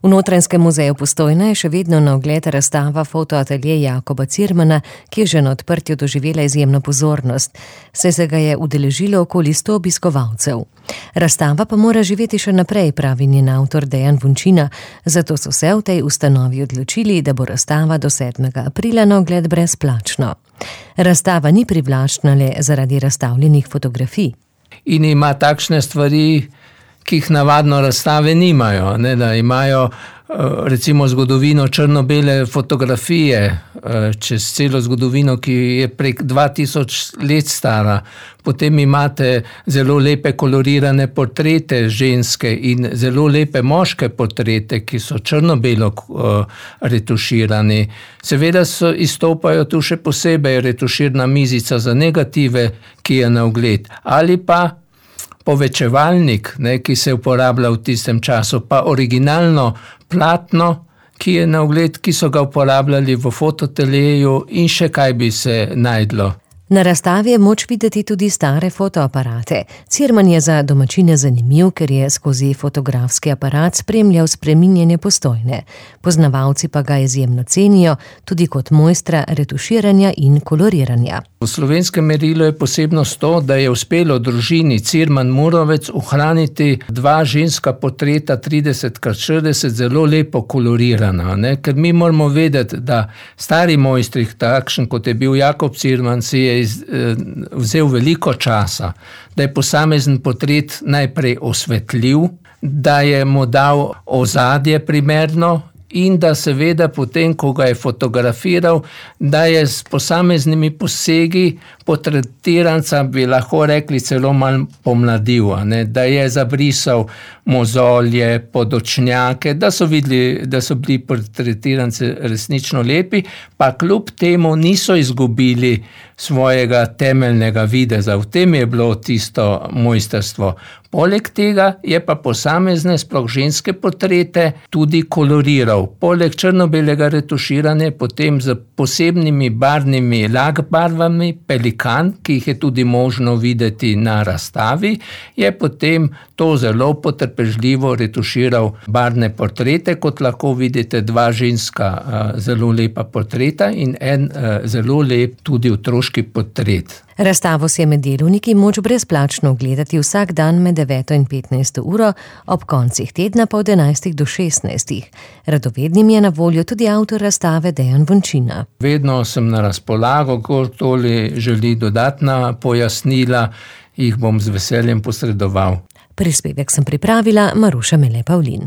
V Notranjskem muzeju Postojna je še vedno na ogled razstava fotoatelje Jakoba Cirmana, ki je že na odprtju doživela izjemno pozornost, saj se ga je udeležilo okoli 100 obiskovalcev. Razstava pa mora živeti še naprej, pravi njen avtor Dejan Vončina, zato so se v tej ustanovi odločili, da bo razstava do 7. aprila na ogled brezplačno. Razstava ni privlačna le zaradi razstavljenih fotografij. In ima takšne stvari, ki jih navadno razstave nimajo, ne, da imajo recimo zgodovino črno-bele fotografije čez celo zgodovino, ki je prek 2000 let stara. Potem imate zelo lepe kolorirane portrete ženske in zelo lepe moške portrete, ki so črno-belo retuširani. Seveda izstopajo tu še posebej retuširna mizica za negative, ki je na ogled, ali pa povečevalnik, ki se uporablja v tistem času, pa originalno platno, ki je na ogled, ki so ga uporabljali v fotoateljeju in še kaj bi se najdlo. Na razstavi je moč videti tudi stare fotoaparate. Cirman je za domačine zanimiv, ker je skozi fotografski aparat spremljal spreminjanje Postojne. Poznavalci pa ga izjemno cenijo, tudi kot mojstra retuširanja in koloriranja. V slovenskem merilu je posebnost to, da je uspelo družini Cirman-Murovec ohraniti 2 ženska portreta 30x40 zelo lepo kolorirana, ne? Ker mi moramo vedeti, da stari mojstri, takšen kot je bil Jakob Cirman, si je vzel veliko časa, da je posamezen portret najprej osvetljiv, da je mu dal ozadje primerno in da seveda potem, ko ga je fotografiral, da je s posameznimi posegi portretiranca, bi lahko rekli, celo malo pomladil, ne? Da je zabrisal mozolje, podočnjake, da so videli, da so bili portretiranci resnično lepi, pa kljub temu niso izgubili svojega temeljnega videza. V tem je bilo tisto mojstrstvo. Poleg tega je pa posamezne, sploh ženske portrete tudi koloriral. Poleg črno-belega retuširanja potem z posebnimi barvnimi lakbarvami, pelikan, ki jih je tudi možno videti na razstavi, je potem to zelo potrpežljivo retuširal barvne portrete, kot lahko vidite 2 ženska zelo lepa portreta in en zelo lep tudi otroški portret. Razstavo si je med delovniki moč brezplačno ogledati vsak dan med 9 in 15 uro, ob koncih tedna pa od 11 do 16. Radovednim je na voljo tudi avtor razstave Dejan Vončina. Vedno sem na razpolago, kdorkoli želi dodatna pojasnila, jih bom z veseljem posredoval. Prispevek sem pripravila Maruša Mele Pavlin.